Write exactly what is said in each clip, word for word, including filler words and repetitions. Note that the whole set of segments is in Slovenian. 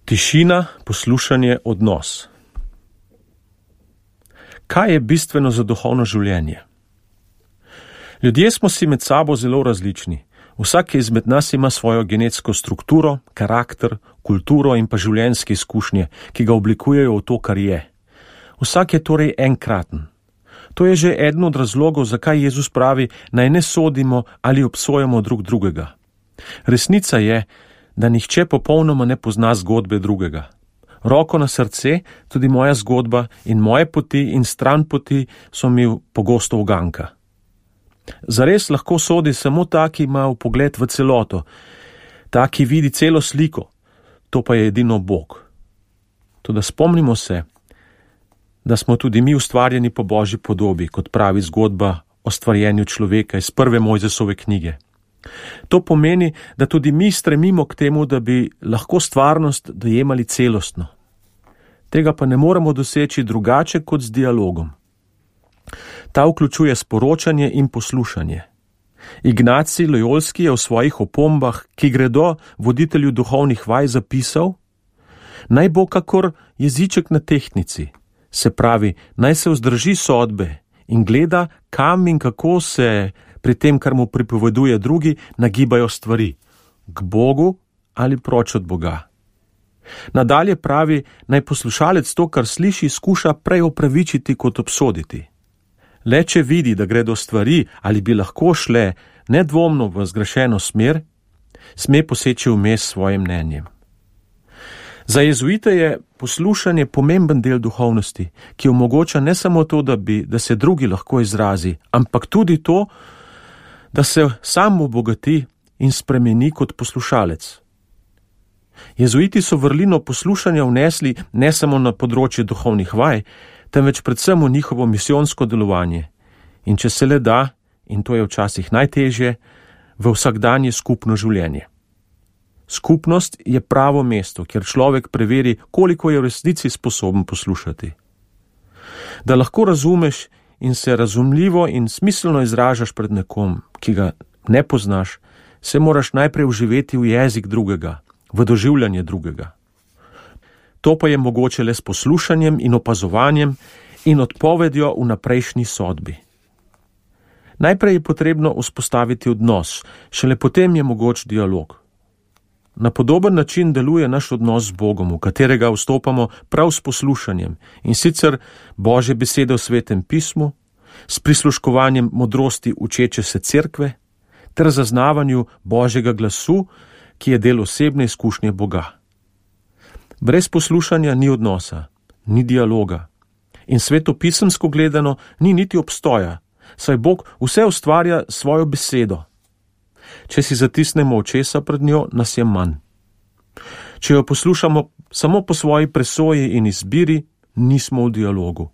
Tišina, poslušanje, odnos. Kaj je bistveno za duhovno življenje? Ljudje smo si med sabo zelo različni. Vsak izmed nas ima svojo genetsko strukturo, karakter, kulturo in pa življenjske izkušnje, ki ga oblikujejo v to, kar je. Vsak je torej enkraten. To je že eden od razlogov, zakaj Jezus pravi, naj ne sodimo ali obsojamo drug drugega. Resnica je, da nihče popolnoma ne pozna zgodbe drugega. Roko na srce, tudi moja zgodba in moje poti in stran poti so mi pogosto uganka. Zares lahko sodi samo ta, ki ima vpogled v celoto, ta, ki vidi celo sliko, to pa je edino Bog. Toda spomnimo se, da smo tudi mi ustvarjeni po Božji podobi, kot pravi zgodba o stvarjenju človeka iz prve Mojzesove knjige. To pomeni, da tudi mi stremimo k temu, da bi lahko stvarnost dojemali celostno. Tega pa ne moremo doseči drugače kot z dialogom. Ta vključuje sporočanje in poslušanje. Ignacij Lojolski je v svojih opombah, ki gredo voditelju duhovnih vaj, zapisal: naj bo kakor jeziček na tehtnici, se pravi, naj se vzdrži sodbe in gleda, kam in kako se pri tem, kar mu pripoveduje drugi, nagibajo stvari, k Bogu ali proč od Boga. Nadalje pravi, naj poslušalec to, kar sliši, skuša prej opravičiti kot obsoditi. Le če vidi, da gredo stvari ali bi lahko šle nedvomno v zgrešeno smer, sme poseči vmes svojim mnenjem. Za jezuite je poslušanje pomemben del duhovnosti, ki omogoča ne samo to, da, bi, da se drugi lahko izrazi, ampak tudi to, da se sam obogati in spremeni kot poslušalec. Jezuiti so vrlino poslušanja vnesli ne samo na področje duhovnih vaj, temveč predvsem v njihovo misijonsko delovanje. In če se le da, in to je včasih najtežje, v vsakdanje skupno življenje. Skupnost je pravo mesto, kjer človek preveri, koliko je v resnici sposoben poslušati. Da lahko razumeš in se razumljivo in smiselno izražaš pred nekom, ki ga ne poznaš, se moraš najprej vživeti v jezik drugega, v doživljanje drugega. To pa je mogoče le s poslušanjem in opazovanjem in odpovedjo v naprejšnji sodbi. Najprej je potrebno vzpostaviti odnos, šele potem je mogoč dialog. Na podoben način deluje naš odnos z Bogom, v katerega vstopamo prav s poslušanjem, in sicer Božje besede v Svetem pismu, s prisluškovanjem modrosti učeče se cerkve, ter zaznavanju Božjega glasu, ki je del osebne izkušnje Boga. Brez poslušanja ni odnosa, ni dialoga. In svetopisemsko gledano ni niti obstoja, saj Bog vse ustvarja svojo besedo. Če si zatisnemo očesa pred njo, nas je manj. Če jo poslušamo samo po svoji presoji in izbiri, nismo v dialogu.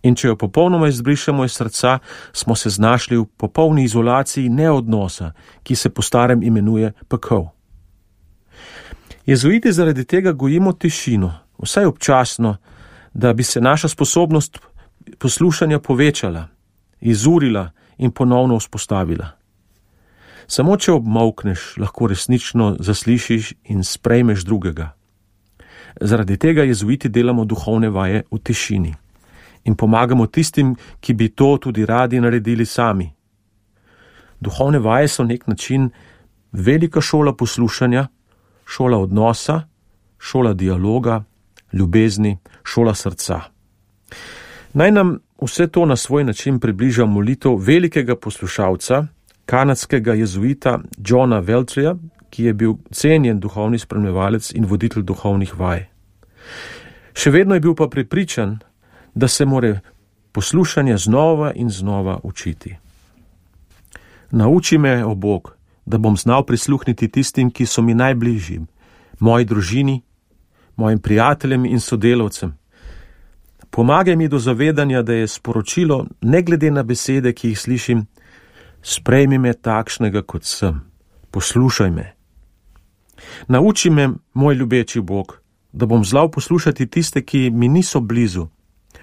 In če jo popolnoma izbrišemo iz srca, smo se znašli v popolni izolaciji neodnosa, ki se po starem imenuje pekel. Jezuiti zaradi tega gojimo tišino, vsaj občasno, da bi se naša sposobnost poslušanja povečala, izurila in ponovno vzpostavila. Samo če obmolkneš, lahko resnično zaslišiš in sprejmeš drugega. Zaradi tega jezuiti delamo duhovne vaje v tišini in pomagamo tistim, ki bi to tudi radi naredili sami. Duhovne vaje so nek način velika šola poslušanja, šola odnosa, šola dialoga, ljubezni, šola srca. Naj nam vse to na svoj način približa molitev velikega poslušalca, kanadskega jezuita Johna Weltreja, ki je bil cenjen duhovni spremljevalec in voditelj duhovnih vaj. Še vedno je bil pa prepričan, da se more poslušanja znova in znova učiti. Nauči me, o Bog, da bom znal prisluhniti tistim, ki so mi najbližji, moji družini, mojim prijateljem in sodelavcem. Pomagaj mi do zavedanja, da je sporočilo, ne glede na besede, ki jih slišim, sprejmi me takšnega, kot sem, poslušaj me. Nauči me, moj ljubeči Bog, da bom znal poslušati tiste, ki mi niso blizu,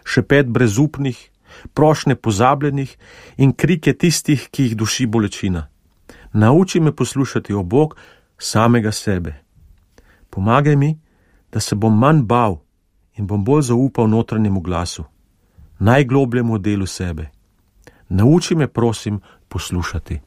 šepet brezupnih, prošnje pozabljenih in krike tistih, ki jih duši bolečina. Nauči me poslušati, o Bog, samega sebe. Pomagaj mi, da se bom manj bal in bom bolj zaupal notranjemu glasu, najglobljemu delu sebe. Nauči me, prosim, poslušati.